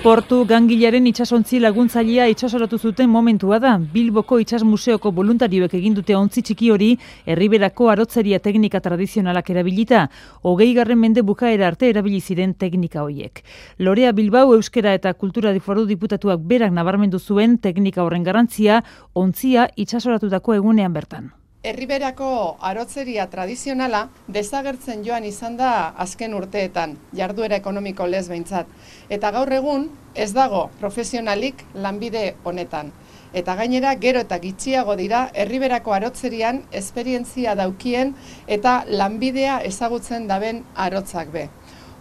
Portu gangilaren itsasontzi laguntzailea itsasoratu zuten momentua da. Bilboko Itsas Museoko voluntarioek egin dute ontzi txiki hori Erriberako arotzeria teknika tradizionalak erabilita. 20. mende bukaera arte erabili ziren teknika horiek. Lorea Bilbao Euskera eta Kultura Foru Diputatuak berak nabarmendu zuen teknika horren garrantzia ontzia itsasoratutako egunean bertan. Erriberako arotzeria tradizionala desagertzen joan izan da azken urteetan, jarduera ekonomiko lez behintzat. Eta gaur egun ez dago profesionalik lanbide honetan. Eta gainera gero eta gitxiago dira Erriberako arotzerian esperientzia daukien eta lanbidea ezagutzen daben arotzak be.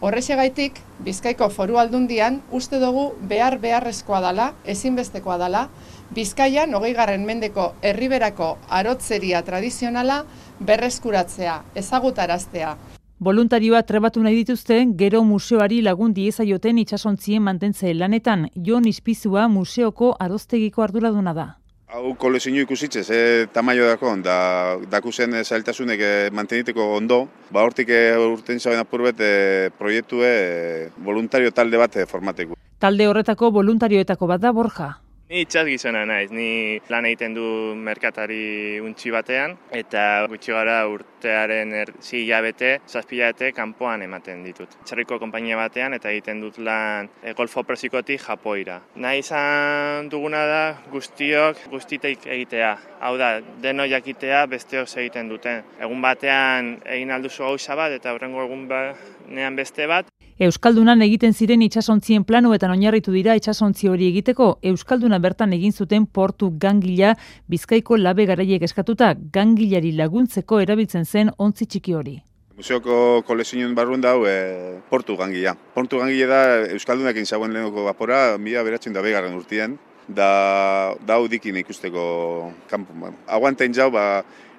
Horrexegaitik, Bizkaiko Foru Aldundian uste dugu beharrezkoa dela, ezinbestekoa dela, Bizkaian 20. mendeko Erriberako arotzeria tradizionala berreskuratzea, ezagutaraztea. Voluntarioa trebatu nahi dituzte, gero museoari lagun diezaioten itsasontzien mantentze lanetan. Jon Ispizua museoko aroztegiko arduraduna da. Hau kolezio ikusitzez, tamaio dako, dakuzen zailtasunek manteniteko ondo, hortik urten zaben apurbet proiektue voluntario talde bat formateko. Talde horretako voluntarioetako bat da Borja. Ni itsas gizona naiz, ni lan egiten du merkatari untxi batean, eta gutxi gara urtearen 6 hilabete, 7 hilabete kanpoan ematen ditut. Txarriko konpainia batean eta egiten dut lan Golfo Persikotik Japoira. Nahi izan duguna da guztitek egitea. Hau da, deno jakitea besteok egiten duten. Egun batean egin alduzu gauza bat eta hurrengo egun batean beste bat. Euskaldunan egiten ziren itsasontzien planuetan oinarritu dira itsasontzi hori egiteko. Euskalduna bertan egin zuten portu gangila Bizkaiko labe garaiek eskatuta gangilari laguntzeko erabiltzen zen ontzi txiki hori. Museoko kolezioen barruen dau portu gangila. Portu gangila da Euskaldunakin zauen lehenoko vapora 1920 urtean. Da dikin ikusteko kanpo. Aguantain jau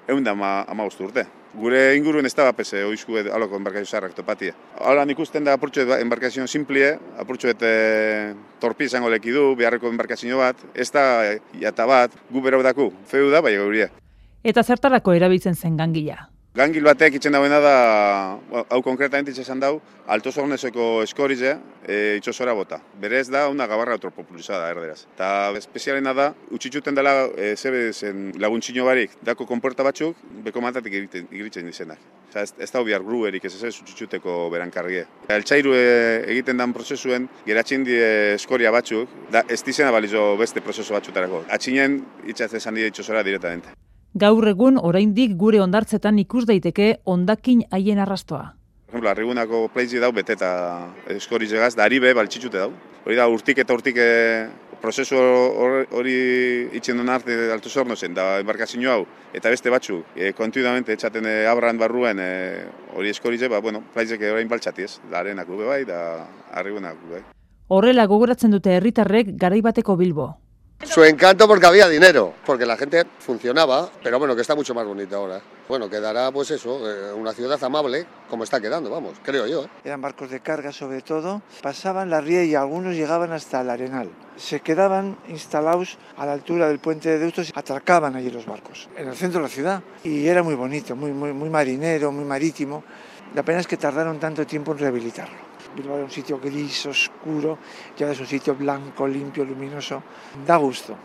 115 urte. Gure inguruen ez da bapese oizku aloko embarkazio zarrak topatia. Hala ikusten da apurtxoet embarkazio simplie, apurtxoet torpi izango lekidu, beharreko embarkazio bat, ez da jata bat, gu berau daku, feu da, bai gauria. Eta zertarako erabiltzen zen gangila? Gangil batek itzen dauena da, hau konkretamente itxesan dau, Alto Zorneseko eskorize itxosora bota. Berez da, una gabarra autopopulizada erderaz. Eta espezialena da, utxitxuten dela laguntxino barik, dako konporta batzuk, beko matatik igritzen dizenak. Ez da bihar gruerik, ez utxitxuteko berankarrie. Eltsairu egiten dan prozesuen, geratzen die eskoria batzuk, ez dizena balizo beste prozesu batzutarako. Atxinen itxatzen zan die itxosora directamente. Gaur egun oraindik gure hondartzetan ikus daiteke hondakin haien arrastoa. Por ejemplo, Arrigunako pleitzi dau beteta eskorizegaz, da ari be baltxitxute dau. Hori da urtik prozesu hori itxen duen arte Alto Zornosen, da embarkazio hau, eta beste batzuk, kontinuamente etxaten abran barruen hori eskorize, pleitzek orain baltxatiez, da arenak ube bai, da Arrigunak ube bai. Horrela gogoratzen dute herritarrek garaibateko Bilbo. Su encanto porque había dinero, porque la gente funcionaba, pero bueno, que está mucho más bonito ahora. Bueno, quedará pues eso, una ciudad amable, como está quedando, vamos, creo yo. Eran barcos de carga sobre todo, pasaban la ría y algunos llegaban hasta el Arenal. Se quedaban instalados a la altura del puente de Deusto, atracaban allí los barcos, en el centro de la ciudad. Y era muy bonito, muy marinero, muy marítimo. La pena es que tardaron tanto tiempo en rehabilitarlo. Bilbao era un sitio gris, oscuro, ya es un sitio blanco, limpio, luminoso. Da gusto.